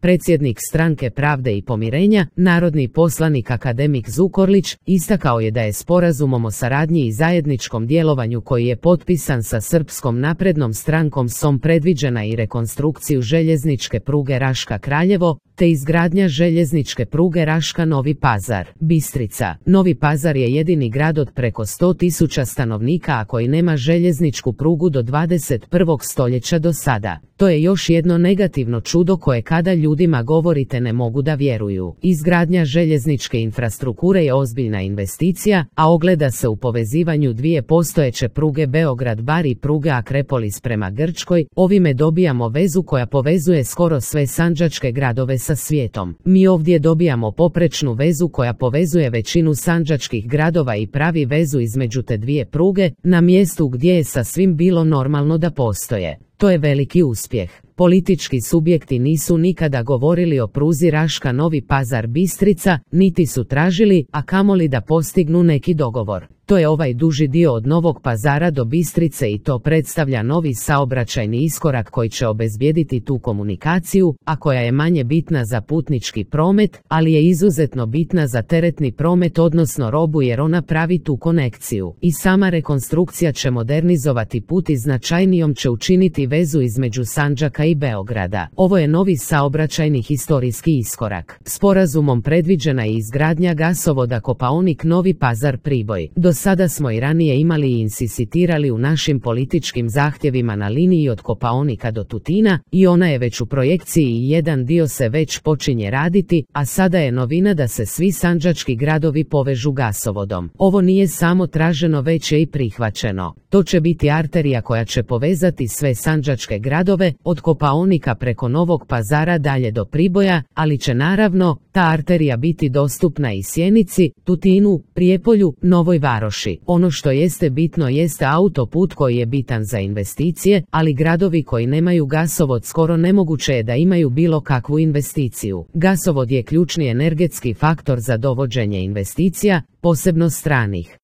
Predsjednik Stranke Pravde i pomirenja, narodni poslanik akademik Zukorlić, istakao je da je sporazumom o saradnji i zajedničkom djelovanju koji je potpisan sa Srpskom naprednom strankom SOM predviđena i rekonstrukciju željezničke pruge Raška-Kraljevo, te izgradnja željezničke pruge Raška-Novi Pazar. Bistrica. Novi Pazar je jedini grad od preko 100.000 stanovnika a koji nema željezničku prugu do 21. stoljeća do sada. To je još jedno negativno čudo koje kada ljudima govorite ne mogu da vjeruju. Izgradnja željezničke infrastrukture je ozbiljna investicija, a ogleda se u povezivanju dvije postojeće pruge Beograd-Bar i pruge Akrepolis prema Grčkoj. Ovime dobijamo vezu koja povezuje skoro sve sandžačke gradove sa svijetom. Mi ovdje dobijamo poprečnu vezu koja povezuje većinu sandžačkih gradova i pravi vezu između te dvije pruge, na mjestu gdje je sasvim bilo normalno da postoje. To je veliki uspjeh. Politički subjekti nisu nikada govorili o pruzi Raška-Novi Pazar-Bistrica, niti su tražili, a kamoli da postignu neki dogovor. To je ovaj duži dio od Novog Pazara do Bistrice i to predstavlja novi saobraćajni iskorak koji će obezbijediti tu komunikaciju, a koja je manje bitna za putnički promet, ali je izuzetno bitna za teretni promet odnosno robu jer ona pravi tu konekciju. I sama rekonstrukcija će modernizovati put i značajnijom će učiniti vezu između Sandžaka i Beograda. Ovo je novi saobraćajni historijski iskorak. Sporazumom predviđena je izgradnja gasovoda Kopaonik-Novi Pazar-Priboj. Do sada smo i ranije imali i insistirali u našim političkim zahtjevima na liniji od Kopaonika do Tutina i ona je već u projekciji i jedan dio se već počinje raditi, a sada je novina da se svi sandžački gradovi povežu gasovodom. Ovo nije samo traženo već je i prihvaćeno. To će biti arterija koja će povezati sve sandžačke gradove, od Kopaonika preko Novog Pazara dalje do Priboja, ali će naravno ta arterija biti dostupna i Sjenici, Tutinu, Prijepolju, Novoj Varoši. Ono što jeste bitno jeste autoput koji je bitan za investicije, ali gradovi koji nemaju gasovod skoro nemoguće je da imaju bilo kakvu investiciju. Gasovod je ključni energetski faktor za dovođenje investicija, posebno stranih.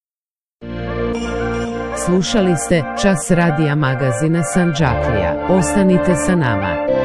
Slušali ste Čas radija magazina Sandžaklija. Ostanite sa nama.